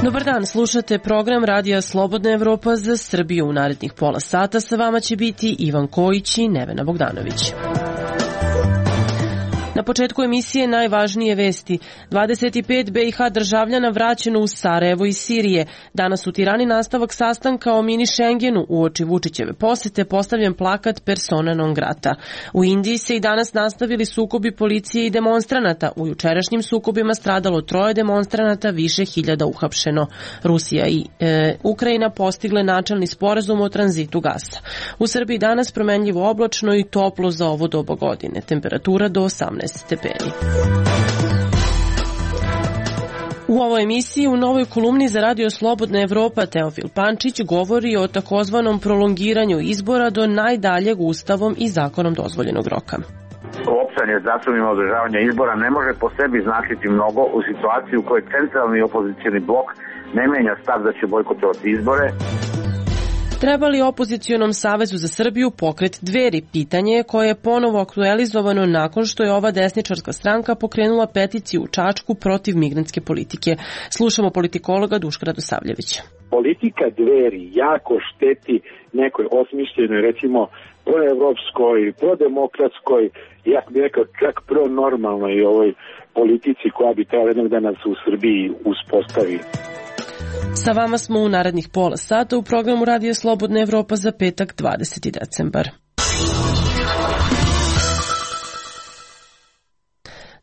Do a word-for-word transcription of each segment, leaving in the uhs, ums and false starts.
Dobar dan, slušate program Radija Slobodna Evropa za Srbiju. U narednih pola sata sa vama će biti Ivan Kojić i Nevena Bogdanović. Na početku emisije najvažnije vesti. dvadeset pet be i ha državljana vraćeno u Sarajevo iz Sirije. Danas u Tirani nastavak sastanka o mini Schengenu. Uoči Vučićeve posete postavljen plakat persona non grata. U Indiji se i danas nastavili sukobi policije i demonstranata. U jučerašnjim sukobima stradalo troje demonstranata, više hiljada uhapšeno. Rusija i e, Ukrajina postigle načelni sporazum o tranzitu gasa. U Srbiji danas promenljivo oblačno i toplo za ovo doba godine. Temperatura do osamnaest stepeni. U ovoj emisiji u novoj kolumni za Radio Slobodna Evropa Teofil Pančić govori o takozvanom prolongiranju izbora do najdaljeg ustavom i zakonom dozvoljenog roka. Opštanje datumima održavanja izbora ne može po sebi značiti mnogo u situaciji u kojoj centralni opozicioni blok ne menja stav da će bojkotovati izbore. Treba li opozicionom Savezu za Srbiju pokret Dveri? Pitanje je koje je ponovo aktualizovano nakon što je ova desničarska stranka pokrenula peticiju u Čačku protiv migrantske politike. Slušamo politikologa Duška Radosavljevića. Politika Dveri jako šteti nekoj osmišljenoj, recimo, proevropskoj, prodemokratskoj, ja bih rekao čak pronormalnoj ovoj politici koja bi trebala jednog dana se u Srbiji uspostavi. Sa vama smo u narednih pola sata u programu Radija Slobodna Evropa za petak dvadeseti decembar.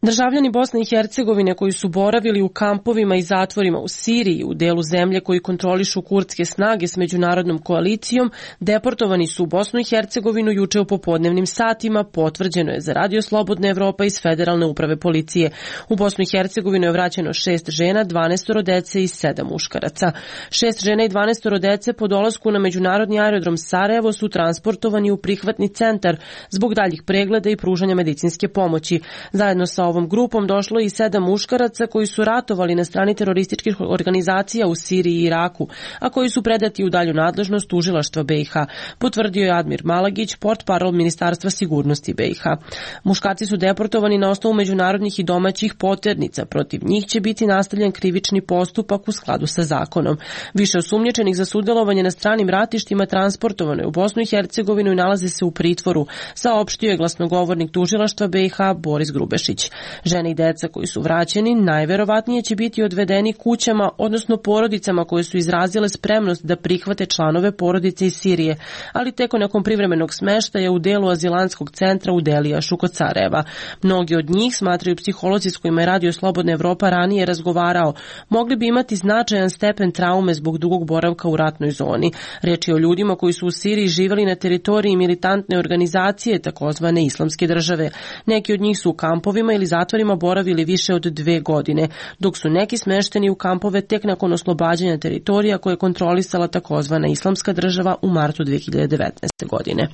Državljani Bosne i Hercegovine koji su boravili u kampovima i zatvorima u Siriji, u delu zemlje koji kontrolišu kurdske snage s međunarodnom koalicijom, deportovani su u Bosnu i Hercegovinu juče u popodnevnim satima, potvrđeno je za Radio Slobodna Evropa iz Federalne uprave policije. U Bosnu i Hercegovinu je vraćeno šest žena, dvanaest dece i sedam muškaraca. Šest žena i dvanaest dece po dolasku na međunarodni aerodrom Sarajevo su transportovani u prihvatni centar zbog daljih pregleda i pružanja medicinske pomoći. Zajedno sa ovom grupom došlo i sedam muškaraca koji su ratovali na strani terorističkih organizacija u Siriji i Iraku, a koji su predati u dalju nadležnost tužilaštva be i ha, potvrdio je Admir Malagić, portparol Ministarstva sigurnosti be i ha. Muškarci su deportovani na osnovu međunarodnih i domaćih poternica. Protiv njih će biti nastavljen krivični postupak u skladu sa zakonom. Više osumnjičenih za sudjelovanje na stranim ratištima transportovano je u Bosnu i Hercegovinu i nalaze se u pritvoru, saopštio je glasnogovornik tužilaštva be i ha Boris Grubešić. Žene i deca koji su vraćeni najverovatnije će biti odvedeni kućama, odnosno porodicama koje su izrazile spremnost da prihvate članove porodice iz Sirije, ali teko nakon privremenog smeštaja u delu azilanskog centra u Delijašu kod Sarajeva. Mnogi od njih, smatraju psiholozi s kojima je Radio Slobodna Evropa ranije razgovarao, mogli bi imati značajan stepen traume zbog dugog boravka u ratnoj zoni. Reč je o ljudima koji su u Siriji živjeli na teritoriji militantne organizacije, takozvane islamske države. Neki od njih su u kampovima ili zatvorima boravili više od dve godine, dok su neki smešteni u kampove tek nakon oslobađanja teritorija koje je kontrolisala takozvana islamska država u martu dve hiljade devetnaeste. godine.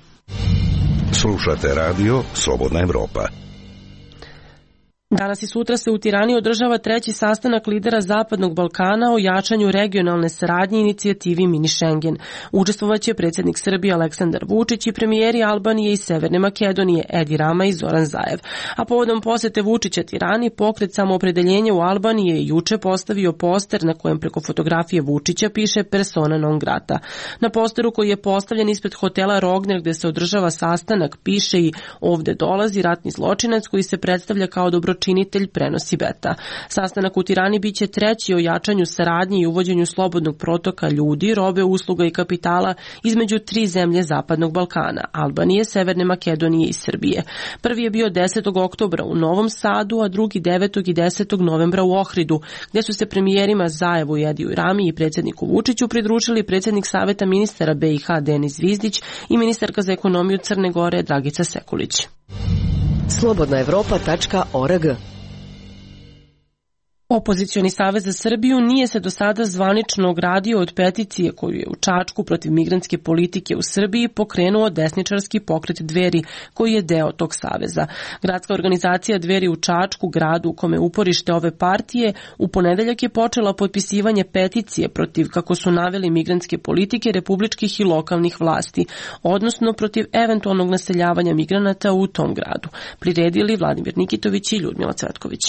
Slušate Radio Slobodna Evropa. Danas i sutra se u Tirani održava treći sastanak lidera Zapadnog Balkana o jačanju regionalne saradnje i inicijativi Mini Schengen. Učestvovaće predsjednik Srbije Aleksandar Vučić i premijeri Albanije i Severne Makedonije Edi Rama i Zoran Zaev. A povodom posete Vučića Tirani, pokret Samoopredeljenja u Albaniji je juče postavio poster na kojem preko fotografije Vučića piše persona non grata. Na posteru koji je postavljen ispred hotela Rogner gde se održava sastanak piše i ovde dolazi ratni zločinac koji se predstavlja kao dobro činitelj prenosi beta. Sastanak u Tirani biće treći o jačanju saradnje i uvođenju slobodnog protoka ljudi, robe, usluga i kapitala između tri zemlje Zapadnog Balkana, Albanije, Severne Makedonije i Srbije. Prvi je bio desetog oktobra u Novom Sadu, a drugi devetog i desetog novembra u Ohridu, gde su se premijerima Zaevu i Ediju Rami i predsjedniku Vučiću pridružili predsjednik Saveta ministara be i ha Denis Zvizdić i ministarka za ekonomiju Crne Gore Dragica Sekulić. slobodna evropa tačka org Opozicioni savez za Srbiju nije se do sada zvanično ogradio od peticije koju je u Čačku protiv migrantske politike u Srbiji pokrenuo desničarski pokret Dveri, koji je deo tog saveza. Gradska organizacija Dveri u Čačku, gradu u kome uporište ove partije, u ponedeljak je počela potpisivanje peticije protiv, kako su naveli, migrantske politike republičkih i lokalnih vlasti, odnosno protiv eventualnog naseljavanja migranata u tom gradu. Priredili Vladimir Nikitović i Ljudmila Cvetković.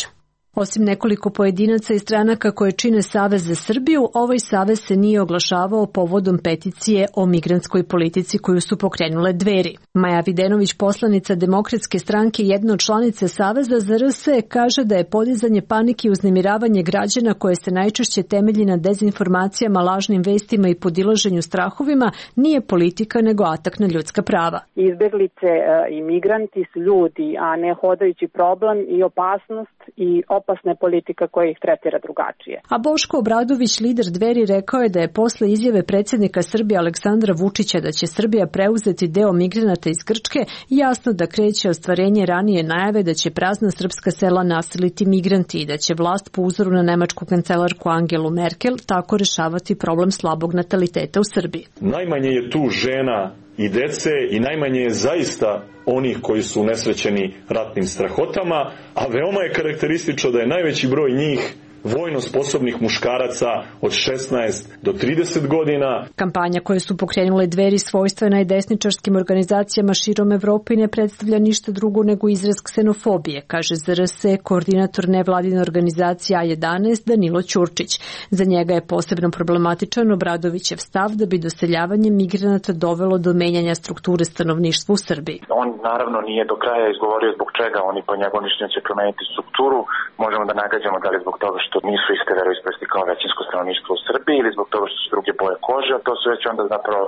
Osim nekoliko pojedinaca i stranaka koje čine Savez za Srbiju, ovaj savez se nije oglašavao povodom peticije o migrantskoj politici koju su pokrenule Dveri. Maja Videnović, poslanica Demokratske stranke, jedna od članice Saveza za R S, kaže da je podizanje panike i uznemiravanje građana koje se najčešće temelji na dezinformacijama, lažnim vestima i podilaženju strahovima nije politika nego atak na ljudska prava. Izbeglice i migranti su ljudi, a ne hodajući problem i opasnost i opasna politika koja ih tretira drugačije. A Boško Obradović, lider Dveri, rekao je da je posle izjave predsjednika Srbije Aleksandra Vučića da će Srbija preuzeti deo migranata iz Grčke, jasno da kreće ostvarenje ranije najave da će prazna srpska sela naseliti migranti i da će vlast po uzoru na nemačku kancelarku Angelu Merkel tako rešavati problem slabog nataliteta u Srbiji. Najmanje je tu žena i dece i najmanje je zaista onih koji su unesrećeni ratnim strahotama, a veoma je karakteristično da je najveći broj njih vojno sposobnih muškaraca od šesnaest do trideset godina. Kampanja koje su pokrenule Dveri svojstvena i desničarskim organizacijama širom Evrope ne predstavlja ništa drugo nego izraz ksenofobije, kaže za R S koordinator nevladine organizacije A jedanaest Danilo Ćurčić. Za njega je posebno problematičan Obradovićev stav da bi doseljavanje migranata dovelo do menjanja strukture stanovništva u Srbiji. On naravno nije do kraja izgovorio zbog čega oni po njegovom mišljenju će promeniti strukturu. Možemo da nagađamo da li zbog toga što nisu iste veroispovesti kao većinsko stanovništvo u Srbiji ili zbog toga što su druge boje kože, a to su već onda zapravo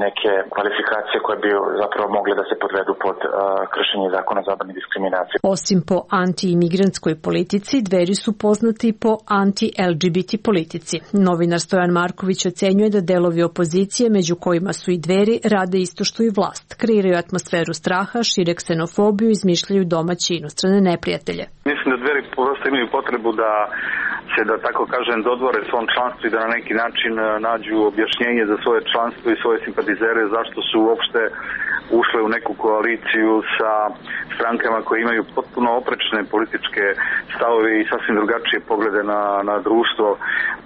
neke kvalifikacije koje bi zapravo mogle da se podvedu pod uh, kršenje zakona o zabrani diskriminacije. Osim po anti-imigrantskoj politici, Dveri su poznati po anti-L G B T politici. Novinar Stojan Marković ocenjuje da delovi opozicije, među kojima su i Dveri, rade isto što i vlast. Kreiraju atmosferu straha, šire ksenofobiju i izmišljaju domaće i inostrane neprijatelje. Mislim da Dveri prosto imaju potrebu da se, da tako kažem, dodvore svom članstvu i da na neki način nađu objašnjenje za svoje članstvo i svoje simpatizere zašto su uopšte ušle u neku koaliciju sa strankama koje imaju potpuno oprečne političke stavove i sasvim drugačije poglede na, na društvo.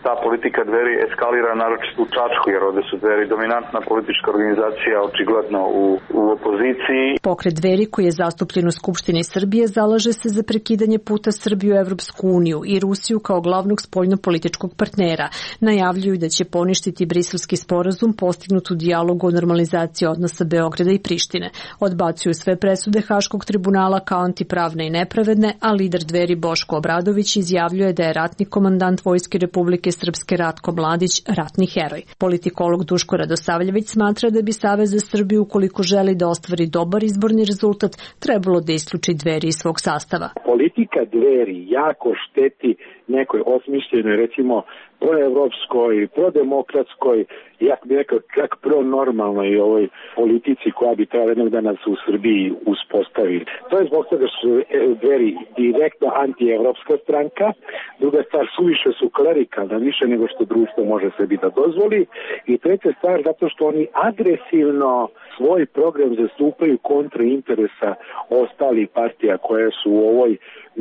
Ta politika Dveri eskalira naročito u Čačku, jer ovde su Dveri dominantna politička organizacija, očigledno u, u opoziciji. Pokret Dveri, koji je zastupljen u Skupštini Srbije, zalaže se za prekidanje puta Srbije u Evropsku uniju i Rusiju kao glavnog spoljnopolitičkog partnera. Najavljuju da će poništiti Briselski sporazum postignut u dijalogu o normalizaciji odnosa Beograda i Prištine. Odbacuju sve presude Haškog tribunala kao antipravne i nepravedne, a lider Dveri Boško Obradović izjavljuje da je ratni komandant Vojske Republike Srpske Ratko Mladić ratni heroj. Politikolog Duško Radosavljević smatra da bi Savez za Srbiju, ukoliko želi da ostvari dobar izborni rezultat, trebalo da isključi Dveri iz svog sastava. Politika Dveri jako šteti nekoj osmišljenoj, recimo, proevropskoj, prodemokratskoj, ja bih rekao čak pronormalnoj ovoj politici koja bi trebala jednog dana se u Srbiji uspostaviti. To je zbog toga što su Dveri direktno antievropska stranka, druga stvar, suviše su klerikalna, više nego što društvo može sebi da dozvoli, i treća stvar, zato što oni agresivno svoj program zastupaju kontra interesa ostalih partija koje su u ovoj,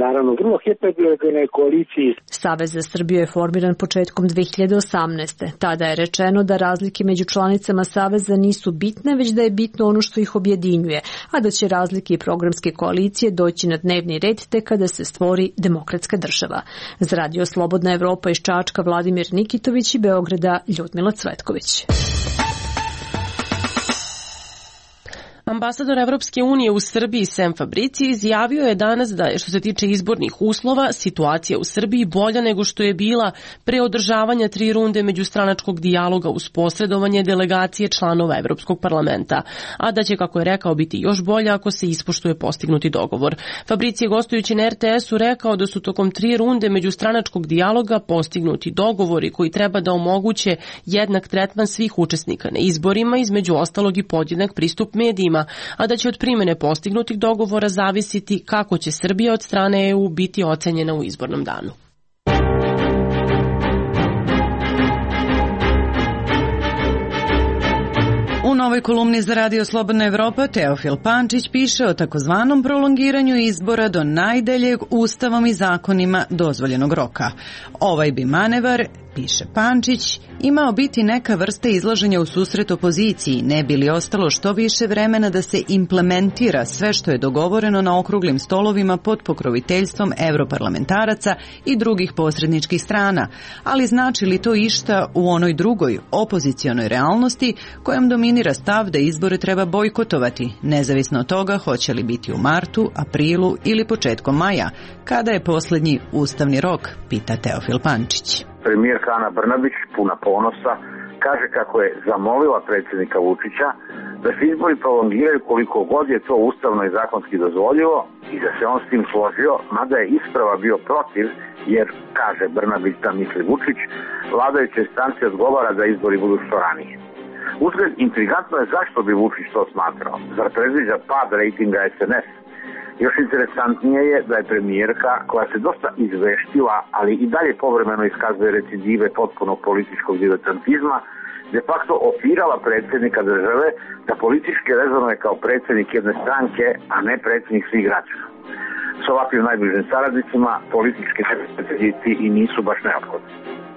naravno, vrlo heterogenoj koaliciji. Savez za Srbiju je formiran početkom dve hiljade osamnaeste. Tada je rečeno da razlike među članicama Saveza nisu bitne, već da je bitno ono što ih objedinjuje, a da će razlike i programske koalicije doći na dnevni red tek kada se stvori demokratska država. Za Radio Slobodna Evropa iz Čačka Vladimir Nikitović i Beograda Ljudmila Cvetković. Ambasador Evropske unije u Srbiji Sem Fabrici izjavio je danas da je, što se tiče izbornih uslova, situacija u Srbiji bolja nego što je bila pre održavanja tri runde međustranačkog dijaloga uz posredovanje delegacije članova Evropskog parlamenta, a da će, kako je rekao, biti još bolja ako se ispoštuje postignuti dogovor. Fabrici je gostujući na R T S-u rekao da su tokom tri runde međustranačkog dijaloga postignuti dogovori koji treba da omoguće jednak tretman svih učesnika na izborima, između ostalog i podjednak pristup medijima, a da će od primene postignutih dogovora zavisiti kako će Srbija od strane E U biti ocenjena u izbornom danu. novoj kolumni za Radio Slobodna Evropa Teofil Pančić piše o takozvanom prolongiranju izbora do najdaljeg ustavom i zakonima dozvoljenog roka. Ovaj bi manevar, piše Pančić, imao biti neka vrsta izlaženja u susret opoziciji, ne bi li ostalo što više vremena da se implementira sve što je dogovoreno na okruglim stolovima pod pokroviteljstvom evroparlamentaraca i drugih posredničkih strana, ali znači li to išta u onoj drugoj, opozicionoj realnosti kojom dominira stav da izbore treba bojkotovati, nezavisno od toga hoće li biti u martu, aprilu ili početkom maja, kada je poslednji ustavni rok, pita Teofil Pančić. Premijerka Ana Brnabić, puna ponosa, kaže kako je zamolila predsjednika Vučića da se izbori prolongiraju koliko god je to ustavno i zakonski dozvoljivo i da se on s tim složio, mada je isprava bio protiv, jer, kaže Brnabić da misli Vučić, vladajućoj stranci odgovara da izbori budu što ranije. Uzgled, intrigantno je zašto bi Vučić to smatrao. Zar predviđa pad rejtinga es en es? Još interesantnije je da je premijerka, koja se dosta izveštila, ali i dalje povremeno iskazuje recidive potpunog političkog diletantizma, de facto opirala predsjednika države da politički rezonuje kao predsjednik jedne stranke, a ne predsjednik svih građana. S ovakvim najbližim saradnicima politički neprijatelji i nisu baš neophodni.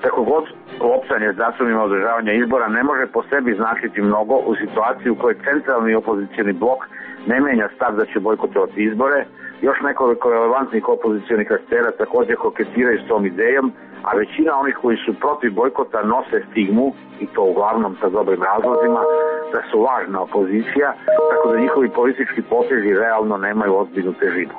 Tako god, loptanje s datumima održavanja izbora ne može po sebi značiti mnogo u situaciji u kojoj centralni opozicioni blok ne menja stav da će bojkotovati izbore, još nekoliko relevantnih opozicionih aktera također koketiraju s tom idejom, a većina onih koji su protiv bojkota nose stigmu, i to uglavnom sa dobrim razlozima, da su lažna opozicija, tako da njihovi politički potezi realno nemaju ozbiljnu težinu.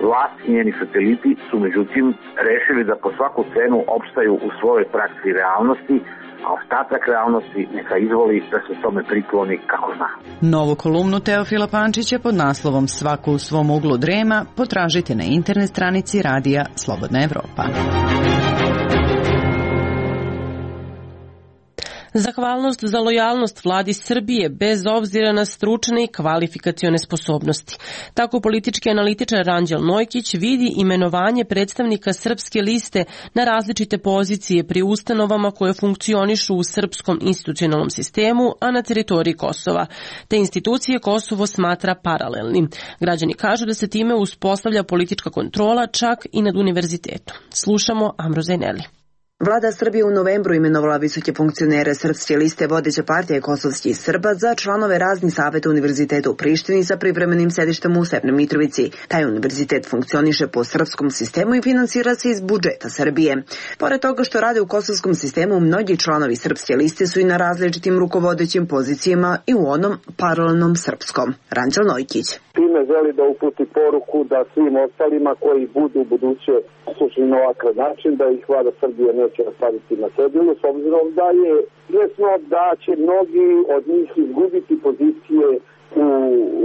Vlast i njeni sateliti su međutim rešili da po svaku cenu opstaju u svojoj praksi realnosti, a ostatak realnosti neka izvoli da se tome prikloni kako zna. Novu kolumnu Teofila Pančića pod naslovom Svako u svom uglu drema potražite na internet stranici Radija Slobodna Evropa. Zahvalnost za lojalnost vladi Srbije bez obzira na stručne i kvalifikacione sposobnosti. Tako politički analitičar Ranđel Nojkić vidi imenovanje predstavnika Srpske liste na različite pozicije pri ustanovama koje funkcionišu u srpskom institucionalnom sistemu, a na teritoriji Kosova. Te institucije Kosovo smatra paralelnim. Građani kažu da se time uspostavlja politička kontrola čak i nad univerzitetom. Slušamo Amroza Eneli. Vlada Srbije u novembru imenovala visoke funkcionere Srpske liste vodeće partije kosovskih Srba za članove raznih saveta univerziteta u Prištini sa privremenim sedištem u Severnoj Mitrovici. Taj univerzitet funkcioniše po srpskom sistemu i finansira se iz budžeta Srbije. Pored toga što rade u kosovskom sistemu, mnogi članovi Srpske liste su i na različitim rukovodećim pozicijama i u onom paralelnom srpskom. Ranđel Nojkić. Time želi da uputi poruku da svim ostalima koji budu u buduće slušali na ovakav način, da ih vlada Srbije neće ostaviti na cedilu, s obzirom da je jasno da će mnogi od njih izgubiti pozicije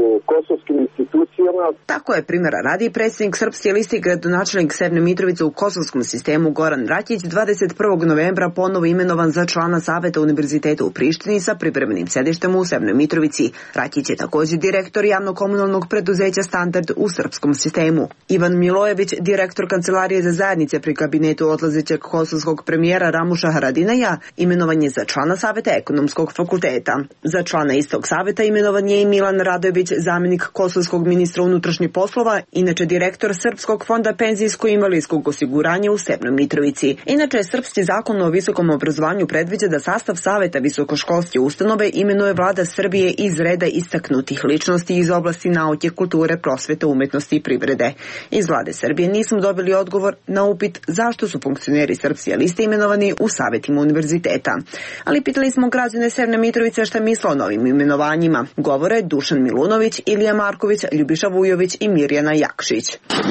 u kosovskim institucijama. Tako je primjera radi predsjednik Srpske liste i gradonačelnik Severne Mitrovice u kosovskom sistemu Goran Rakić dvadeset prvog novembra ponovo imenovan za člana saveta univerziteta u Prištini sa privremenim sedištem u Severnoj Mitrovici. Rakić je također direktor javno-komunalnog preduzeća Standard u srpskom sistemu. Ivan Milojević, direktor Kancelarije za zajednice pri kabinetu odlazećeg kosovskog premijera Ramuša Haradinaja, imenovan je za člana saveta ekonomskog fakulteta. Za člana istog saveta imenovan je i Milan Radojević, zamjenik kosovskog ministra unutrašnjih poslova, inače direktor Srpskog fonda penzijsko-invalidskog osiguranja u Severnoj Mitrovici. Inače, srpski zakon o visokom obrazovanju predviđa da sastav saveta visokoškolske ustanove imenuje vlada Srbije iz reda istaknutih ličnosti iz oblasti nauke, kulture, prosvete, umetnosti i privrede. Iz vlade Srbije nismo dobili odgovor na upit zašto su funkcioneri Srpske liste imenovani u savetima univerziteta. Ali pitali smo građane Severne Mitrovice šta misle o novim imenovanjima. Govore Dušan Milunović, Ilija Marković, Ljubiša Vujović i Mirjana Jakšić.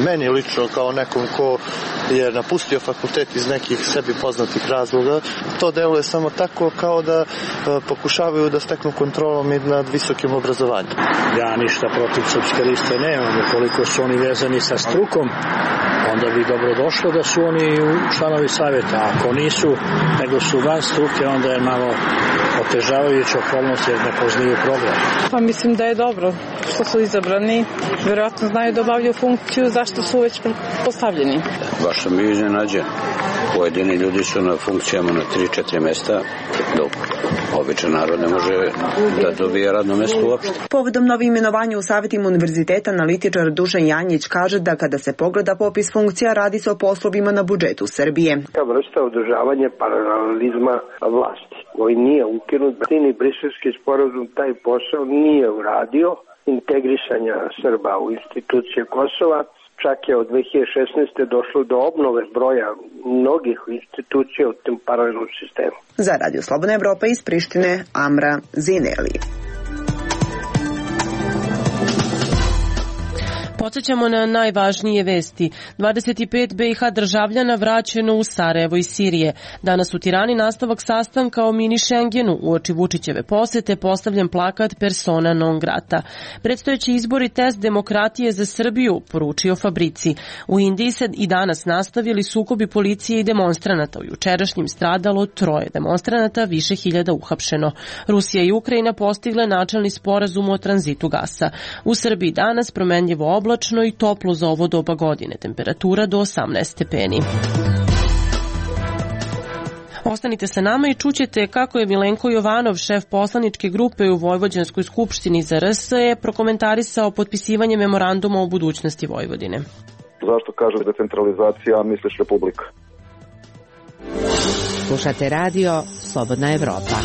Meni lično kao nekom ko je napustio fakultet iz nekih sebi poznatih razloga, to deluje samo tako kao da pokušavaju da steknu kontrolom nad visokim obrazovanjem. Ja ništa protiv Srpske liste nemam, ukoliko su oni vezani sa strukom, onda bi dobro došlo da su oni članovi savjeta. Ako nisu, nego su van struke, onda je malo otežavajuća okolnost jer ne poznaju program. Pa mislim da je dobro što su izabrani. Vjerojatno znaju da obavljaju funkciju zašto su već postavljeni. Baš sam bio iznenađen. Pojedini ljudi su na funkcijama na tri četiri mesta, dok običan narod ne može da dobije radno mesto uopšte. Povodom novi imenovanja u savjetima univerziteta, analitičar Dušan Janjić kaže da kada se pogleda popis funkcija, radi se o poslovima na budžetu Srbije. Ta vrsta održavanja paralelizma vlasti koji nije ukinut, ni briselski sporazum taj posao nije uradio, integrisanja Srba u institucije Kosova. Čak je od dve hiljade šesnaeste. došlo do obnove broja mnogih institucija u tom paralelnom sistemu. Za Radio Slobodna Evropa iz Prištine, Amra Zineli. Podsjećamo na najvažnije vesti. dvadeset pet be i ha državljana vraćeno u Sarajevo iz Sirije. Danas u Tirani nastavak sastanka o mini Schengenu. Uoči Vučićeve posete postavljen plakat persona non grata. Predstojeći izbori test demokratije za Srbiju, poručio Fabrici. U Indiji se i danas nastavili sukobi policije i demonstranata. U jučerašnjim stradalo troje demonstranata, više hiljada uhapšeno. Rusija i Ukrajina postigle načelni sporazum o tranzitu gasa. U Srbiji danas promenljivo oblačno i toplo za ovo doba godine, temperatura do osamnaest stepeni. Ostanite sa nama i čućete kako je Milenko Jovanov, šef poslaničke grupe u Vojvođanskoj skupštini za R S E, prokomentarisao potpisivanje memoranduma o budućnosti Vojvodine. Zašto kažeš decentralizacija, misliš republika? Slušate radio Slobodna Evropa.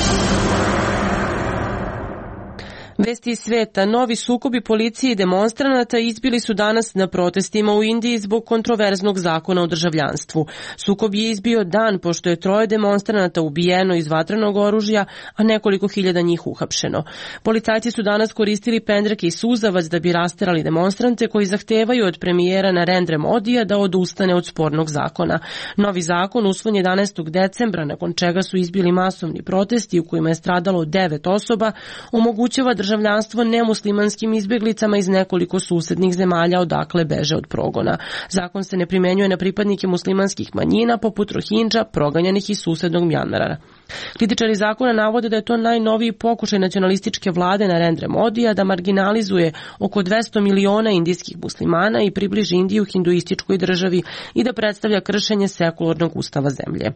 Vesti iz sveta. Novi sukobi policije i demonstranata izbili su danas na protestima u Indiji zbog kontroverznog zakona o državljanstvu. Sukob je izbio dan pošto je troje demonstranata ubijeno iz vatrenog oružja, a nekoliko hiljada njih uhapšeno. Policajci su danas koristili pendreke i suzavac da bi rasterali demonstrante koji zahtevaju od premijera Narendra Modija da odustane od spornog zakona. Novi zakon usvojen jedanaestog decembra, nakon čega su izbili masovni protesti u kojima je stradalo devet osoba, omogućava državljanstvo nemuslimanskim izbjeglicama iz nekoliko susednih zemalja odakle beže od progona. Zakon se ne primenjuje na pripadnike muslimanskih manjina poput Rohingya, proganjanih iz susednog Mjanmara. Kritičari zakona navode da je to najnoviji pokušaj nacionalističke vlade Narendra Modija da marginalizuje oko dvesta miliona indijskih muslimana i približi Indiju hinduističkoj državi i da predstavlja kršenje sekularnog ustava zemlje.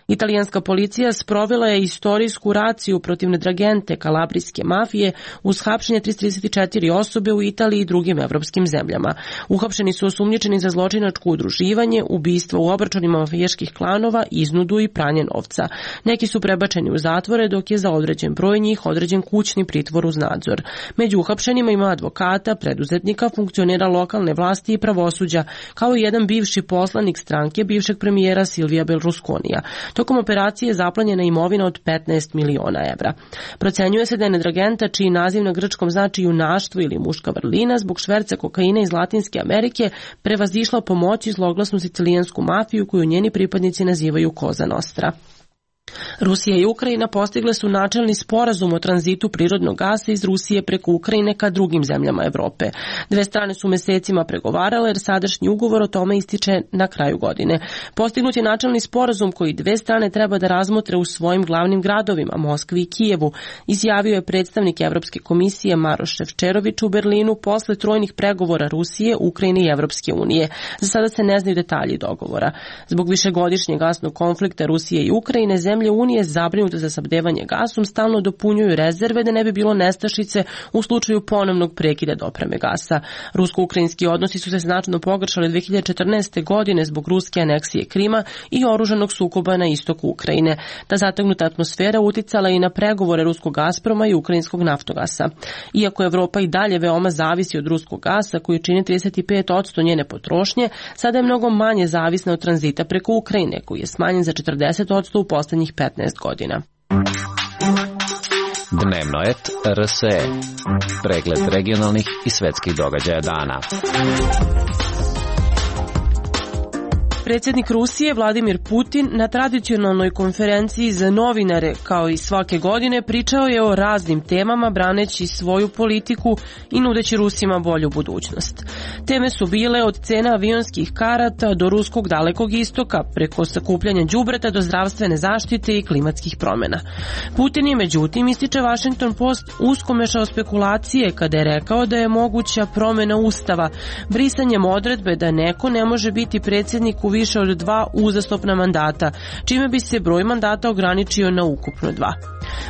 Italijanska policija sprovela je istorijsku raciju protiv nedragente kalabrijske mafije uz hapšenje tristo trideset četiri osobe u Italiji i drugim evropskim zemljama. Uhapšeni su osumnjičeni za zločinačko udruživanje, ubistva u obračunima mafijaških klanova, iznudu i pranje novca. Neki su prebačeni u zatvore, dok je za određen broj njih određen kućni pritvor uz nadzor. Među uhapšenima ima advokata, preduzetnika, funkcionera lokalne vlasti i pravosuđa, kao i jedan bivši poslanik stranke bivšeg premijera Silvija Berlusconija. Tokom operacije je zaplanjena imovina od petnaest miliona evra. Procenjuje se da je nedragenta, čiji naziv na grčkom znači junaštvo ili muška vrlina, zbog šverca kokaina iz Latinske Amerike prevazišla pomoći zloglasnu sicilijansku mafiju koju njeni pripadnici nazivaju Cosa Nostra. Rusija i Ukrajina postigle su načelni sporazum o tranzitu prirodnog gasa iz Rusije preko Ukrajine ka drugim zemljama Evrope. Dve strane su mesecima pregovarale jer sadašnji ugovor o tome ističe na kraju godine. Postignut je načelni sporazum koji dve strane treba da razmotre u svojim glavnim gradovima, Moskvi i Kijevu, izjavio je predstavnik Evropske komisije Maroš Šefčerović u Berlinu posle trojnih pregovora Rusije, Ukrajine i Evropske unije. Za sada se ne znaju detalji dogovora. Zbog višegodišnjeg gasnog konflikta Rusije i Ukrajine, zemlje Unije zabrinute za snabdevanje gasom stalno dopunjuju rezerve da ne bi bilo nestašice u slučaju ponovnog prekida dopreme gasa. Rusko-ukrajinski odnosi su se značajno pogoršali dve hiljade četrnaeste. godine zbog ruske aneksije Krima i oružanog sukoba na istoku Ukrajine. Ta zategnuta atmosfera uticala i na pregovore ruskog Gazproma i ukrajinskog Naftogasa. Iako Evropa i dalje veoma zavisi od ruskog gasa, koji čini trideset pet posto njene potrošnje, sada je mnogo manje zavisna od tranzita preko Ukrajine, koji je smanjen za četrdeset posto u poslednjih petnaest godina. Dnevno et R S E. Pregled regionalnih i svetskih događaja dana. Predsjednik Rusije Vladimir Putin na tradicionalnoj konferenciji za novinare, kao i svake godine, pričao je o raznim temama braneći svoju politiku i nudeći Rusima bolju budućnost. Teme su bile od cena avionskih karata do ruskog dalekog istoka, preko sakupljanja đubreta do zdravstvene zaštite i klimatskih promjena. Putin je međutim, ističe Washington Post, usko mešao spekulacije kada je rekao da je moguća promjena ustava, brisanjem odredbe da neko ne može biti predsjednik u više od dva uzastopna mandata, čime bi se broj mandata ograničio na ukupno dva.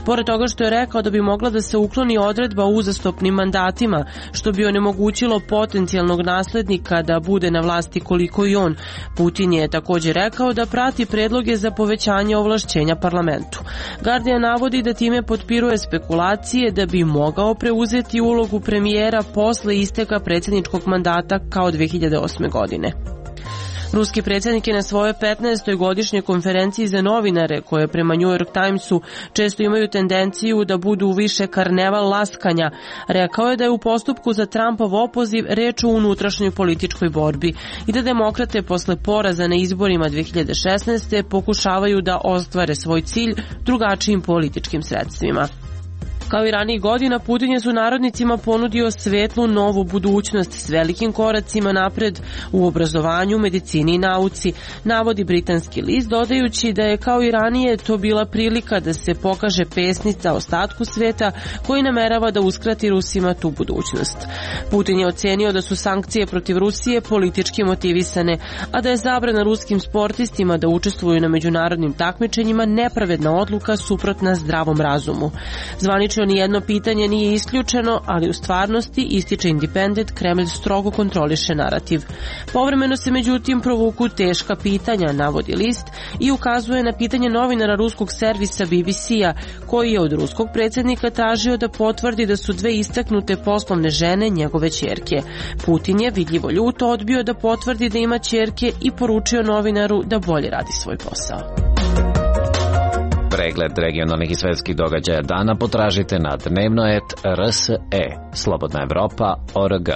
Pored toga što je rekao da bi mogla da se ukloni odredba o uzastopnim mandatima, što bi onemogućilo potencijalnog naslednika da bude na vlasti koliko i on, Putin je također rekao da prati predloge za povećanje ovlašćenja parlamentu. Guardian navodi da time potpiruje spekulacije da bi mogao preuzeti ulogu premijera posle isteka predsjedničkog mandata kao dve hiljade osme. godine. Ruski predsjednik je na svojoj petnaestoj godišnjoj konferenciji za novinare, koje prema New York Timesu često imaju tendenciju da budu više karneval laskanja, rekao je da je u postupku za Trumpov opoziv reč o unutrašnjoj političkoj borbi i da demokrate posle poraza na izborima dve hiljade šesnaeste. pokušavaju da ostvare svoj cilj drugačijim političkim sredstvima. Kao i ranijih godina, Putin je sunarodnicima ponudio svetlu novu budućnost s velikim koracima napred u obrazovanju, medicini i nauci, navodi britanski list, dodajući da je kao i ranije to bila prilika da se pokaže pesnica ostatku sveta koji namerava da uskrati Rusima tu budućnost. Putin je ocenio da su sankcije protiv Rusije politički motivisane, a da je zabrana ruskim sportistima da učestvuju na međunarodnim takmičenjima nepravedna odluka suprotna zdravom razumu. Zvanično nijedno pitanje nije isključeno, ali u stvarnosti, ističe Independent, Kremlj strogo kontroliše narativ. Povremeno se međutim provuku teška pitanja, navodi list, i ukazuje na pitanje novinara ruskog servisa B B C-a, koji je od ruskog predsjednika tražio da potvrdi da su dve istaknute poslovne žene njegove ćerke. Putin je vidljivo ljuto odbio da potvrdi da ima ćerke i poručio novinaru da bolje radi svoj posao. Pregled regionalnih i svetskih događaja dana potražite na dnevnoet R S E, Slobodna Evropa, O R G.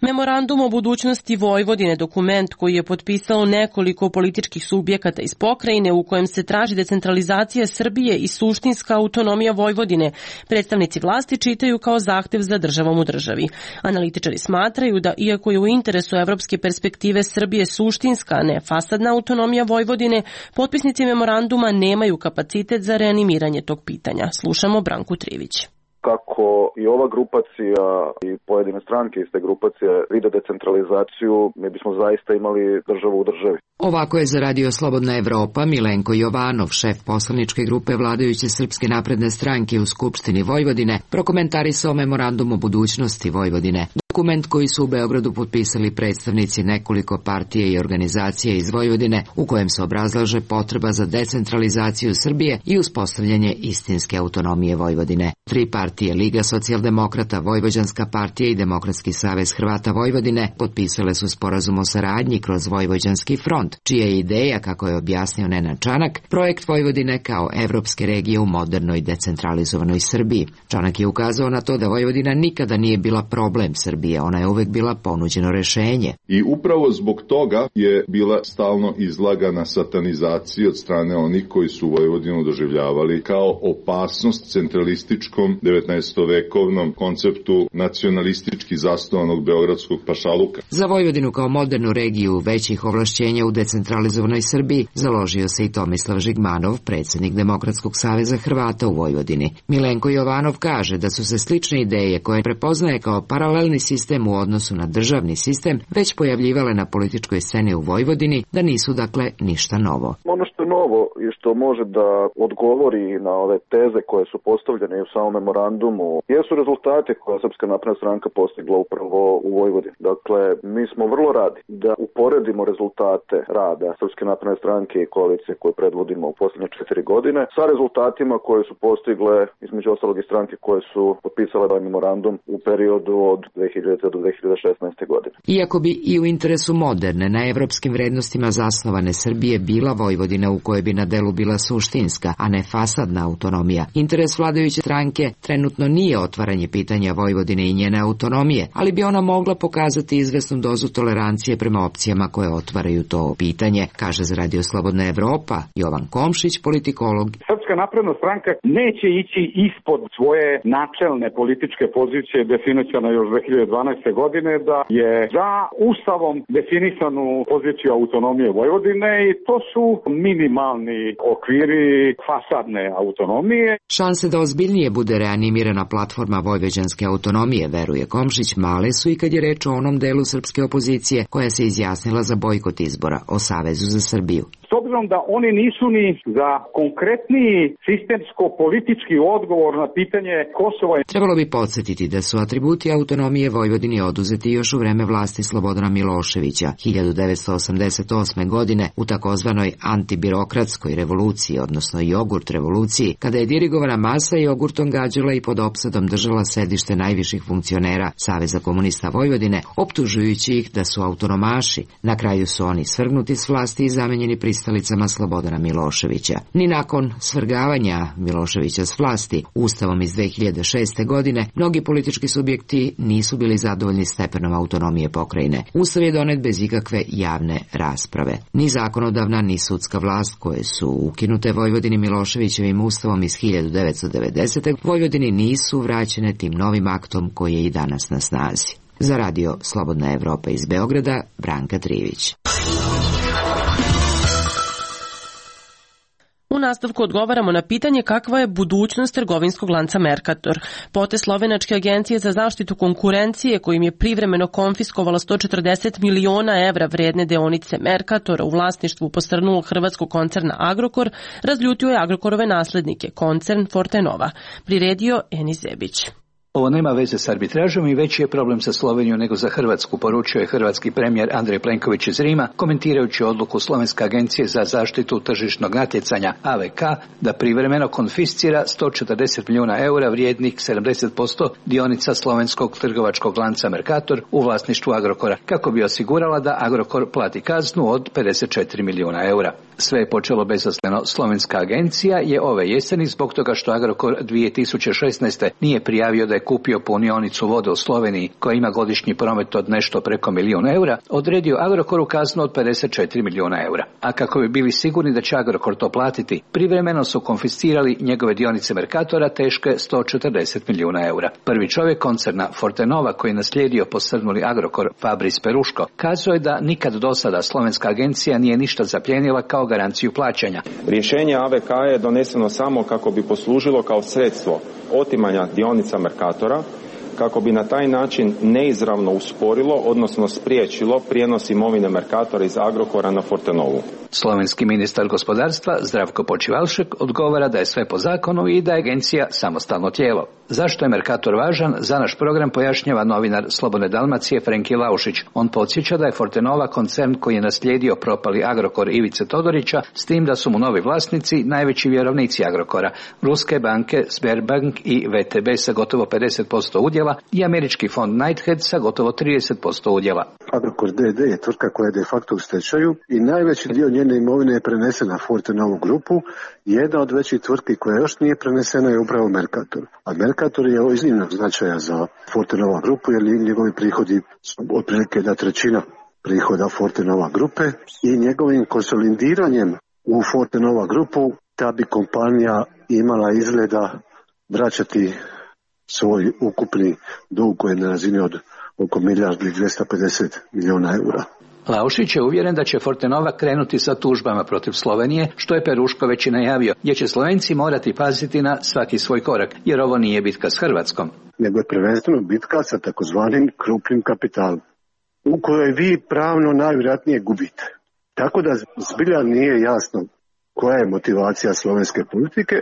Memorandum o budućnosti Vojvodine, dokument koji je potpisalo nekoliko političkih subjekata iz pokrajine u kojem se traži decentralizacija Srbije i suštinska autonomija Vojvodine, predstavnici vlasti čitaju kao zahtev za državom u državi. Analitičari smatraju da iako je u interesu evropske perspektive Srbije suštinska, a ne fasadna autonomija Vojvodine, potpisnici memoranduma nemaju kapacitet za reanimiranje tog pitanja. Slušamo Branku Trivić. Kako i ova grupacija i pojedine stranke iz te grupacije vide decentralizaciju, mi bismo zaista imali državu u državi. Ovako je za Radio Slobodna Evropa Milenko Jovanov, šef poslaničke grupe vladajuće Srpske napredne stranke u Skupštini Vojvodine, prokomentarisao memorandum o budućnosti Vojvodine. Dokument koji su u Beogradu potpisali predstavnici nekoliko partije i organizacije iz Vojvodine, u kojem se obrazlaže potreba za decentralizaciju Srbije i uspostavljanje istinske autonomije Vojvodine. Tri partije, Liga socijaldemokrata, Vojvođanska partija i Demokratski savez Hrvata Vojvodine, potpisale su sporazum o saradnji kroz Vojvođanski front, čija je ideja, kako je objasnio Nenad Čanak, projekt Vojvodine kao evropske regije u modernoj decentralizovanoj Srbiji. Čanak je ukazao na to da Vojvodina nikada nije bila problem Srbije. Ona je uvek bila ponuđeno rešenje. I upravo zbog toga je bila stalno izlagana satanizaciji od strane onih koji su Vojvodinu doživljavali kao opasnost centralističkom devetnaestovekovnom konceptu nacionalistički zasnovanog beogradskog pašaluka. Za Vojvodinu kao modernu regiju većih ovlašćenja u decentralizovanoj Srbiji založio se i Tomislav Žigmanov, predsjednik Demokratskog saveza Hrvata u Vojvodini. Milenko Jovanov kaže da su se slične ideje koje prepoznaje kao paralelni sistem u odnosu na državni sistem već pojavljivale na političkoj sceni u Vojvodini, da nisu dakle ništa novo. Ono što je novo i što može da odgovori na ove teze koje su postavljene u samom memorandumu jesu rezultate koje Srpska napredna stranka postigla upravo u Vojvodini. Dakle, mi smo vrlo radi da uporedimo rezultate rada Srpske napredne stranke i koalicije koje predvodimo u posljednje četiri godine sa rezultatima koje su postigle između ostalog i stranke koje su potpisale ovaj memorandum u periodu od dve hiljadite do dve hiljade šesnaeste. godine. Iako bi i u interesu moderne, na evropskim vrednostima zasnovane Srbije bila Vojvodina u kojoj bi na delu bila suštinska, a ne fasadna autonomija, interes vladajuće stranke trenutno nije otvaranje pitanja Vojvodine i njene autonomije, ali bi ona mogla pokazati izvesnu dozu tolerancije prema opcijama koje otvaraju to pitanje, kaže za Radio Slobodna Evropa Jovan Komšić, politikolog. Srpska Srpska napredna stranka neće ići ispod svoje načelne političke pozicije definisane još dve hiljade dvanaeste. godine, da je za ustavom definisanu poziciju autonomije Vojvodine i to su minimalni okviri fasadne autonomije. Šanse da ozbiljnije bude reanimirana platforma vojvođanske autonomije, veruje Komšić, male su i kad je reč o onom delu srpske opozicije koja se izjasnila za bojkot izbora o Savezu za Srbiju. S obzirom da oni nisu ni za konkretniji sistemsko-politički odgovor na pitanje Kosova. Trebalo bi podsjetiti da su atributi autonomije Vojvodini oduzeti još u vreme vlasti Slobodana Miloševića hiljadu devetsto osamdeset osme. godine u takozvanoj antibirokratskoj revoluciji, odnosno jogurt revoluciji, kada je dirigovana masa jogurtom gađala i pod opsadom držala sedište najviših funkcionera Saveza komunista Vojvodine, optužujući ih da su autonomaši. Na kraju su oni svrgnuti s vlasti i zamenjeni pristalicama Slobodana Miloševića. Ni nakon svrgavanja Miloševića s vlasti Ustavom iz dve hiljade šeste. godine mnogi politički subjekti nisu bili zadovoljni stepenom autonomije pokrajine. Ustav je donet bez ikakve javne rasprave. Ni zakonodavna ni sudska vlast koje su ukinute Vojvodini Miloševićevim ustavom iz hiljadu devetsto devedesete. Vojvodini nisu vraćene tim novim aktom koji je i danas na snazi. Za radio Slobodna Evropa iz Beograda, Branka Trivić. U nastavku odgovaramo na pitanje kakva je budućnost trgovinskog lanca Mercator. Potez Slovenačke agencije za zaštitu konkurencije, kojim je privremeno konfiskovala sto četrdeset miliona evra vredne deonice Mercatora u vlasništvu posrnulog hrvatskog koncerna Agrokor, razljutio je Agrokorove naslednike, koncern Fortenova. Priredio Enis Zebić. Ovo nema veze s arbitražom i veći je problem za Sloveniju nego za Hrvatsku, poručio je hrvatski premijer Andrej Plenković iz Rima, komentirajući odluku Slovenske agencije za zaštitu tržišnog natjecanja A V K da privremeno konfiscira sto četrdeset milijuna eura vrijednih sedamdeset posto dionica slovenskog trgovačkog lanca Mercator u vlasništvu Agrokora, kako bi osigurala da Agrokor plati kaznu od pedeset četiri milijuna eura. Sve je počelo bezazleno. Slovenska agencija je ove jeseni, zbog toga što Agrokor dvije tisuće šesnaeste. nije prijavio da je kupio punionicu vode u Sloveniji koja ima godišnji promet od nešto preko milijun eura, odredio Agrokoru kaznu od pedeset četiri milijuna eura. A kako bi bili sigurni da će Agrokor to platiti, privremeno su konfiscirali njegove dionice Mercatora teške sto četrdeset milijuna eura. Prvi čovjek koncerna Fortenova, koji je naslijedio posrnuli Agrokor, Fabris Peruško, kazao je da nikad do sada slovenska agencija nije ništa zapljenila kao garanciju plaćanja. Rješenje A V K je doneseno samo kako bi poslužilo kao sredstvo otimanja dionica Mercatora, kako bi na taj način neizravno usporilo, odnosno spriječilo prijenos imovine Mercatora iz Agrokora na Fortenovu. Slovenski ministar gospodarstva Zdravko Počivalšek odgovara da je sve po zakonu i da je agencija samostalno tijelo. Zašto je Mercator važan, za naš program pojašnjava novinar Slobodne Dalmacije Frenki Laušić. On podsjeća da je Fortenova koncern koji je naslijedio propali Agrokor Ivice Todorića, s tim da su mu novi vlasnici najveći vjerovnici Agrokora, ruske banke Sberbank i V T B sa gotovo pedeset posto udjela i američki fond Knighthead sa gotovo trideset posto udjela. Agrokor D D je tvrtka koja je de facto u stečaju i najveći dio njene imovine je prenesen na Fortenovu grupu. Jedna od većih tvrtki koja još nije prenesena je upravo Mercator. A Mercator je iznimnog značaja za Fortenova grupu jer njegovi prihodi su otprilike jedna trećina prihoda Fortenova grupe i njegovim konsolidiranjem u Fortenova grupu ta bi kompanija imala izgleda vraćati svoj ukupni dug koji je na razini od oko milijardu i dvjesto pedeset milijuna eura. Laušić je uvjeren da će Fortenova krenuti sa tužbama protiv Slovenije, što je Peruško već i najavio, jer će Slovenci morati paziti na svaki svoj korak, jer ovo nije bitka s Hrvatskom. Nego je prvenstveno bitka sa takozvanim krupnim kapitalom, u kojoj vi pravno najvjerojatnije gubite. Tako da zbilja nije jasno koja je motivacija slovenske politike.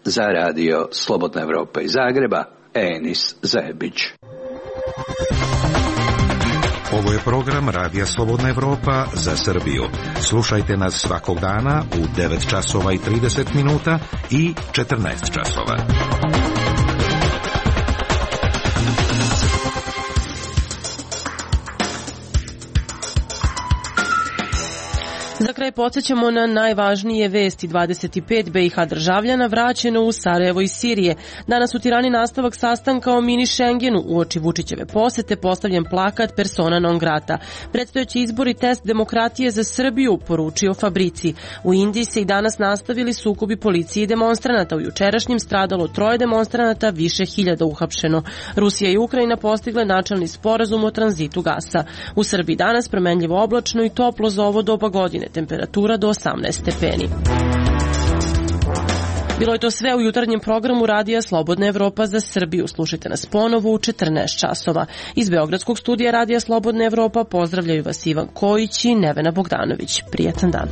Za radio Slobodna Evropa iz Zagreba, Enis Zebić. Ovo je program Radija Slobodna Evropa za Srbiju. Slušajte nas svakog dana u devet časova i trideset minuta i četrnaest časova. Za kraj podsjećamo na najvažnije vesti. dvadeset pet B i H državljana vraćeno u Sarajevo iz Sirije. Danas u Tirani nastavak sastanka o mini Schengenu. Uoči Vučićeve posete postavljen plakat persona non grata. Predstojeći izbor i test demokratije za Srbiju, poručio Fabrici. U Indiji se i danas nastavili sukobi policije i demonstranata. U jučerašnjim stradalo troje demonstranata, više hiljada uhapšeno. Rusija i Ukrajina postigle načelni sporazum o tranzitu gasa. U Srbiji danas promenljivo oblačno i toplo za ovo doba godine, temperatura do osamnaest stepeni. Bilo je to sve u jutarnjem programu Radija Slobodna Evropa za Srbiju. Slušajte nas ponovo u četrnaest časova. Iz Beogradskog studija Radija Slobodna Evropa pozdravljaju vas Ivan Kojić i Nevena Bogdanović. Prijatan dan.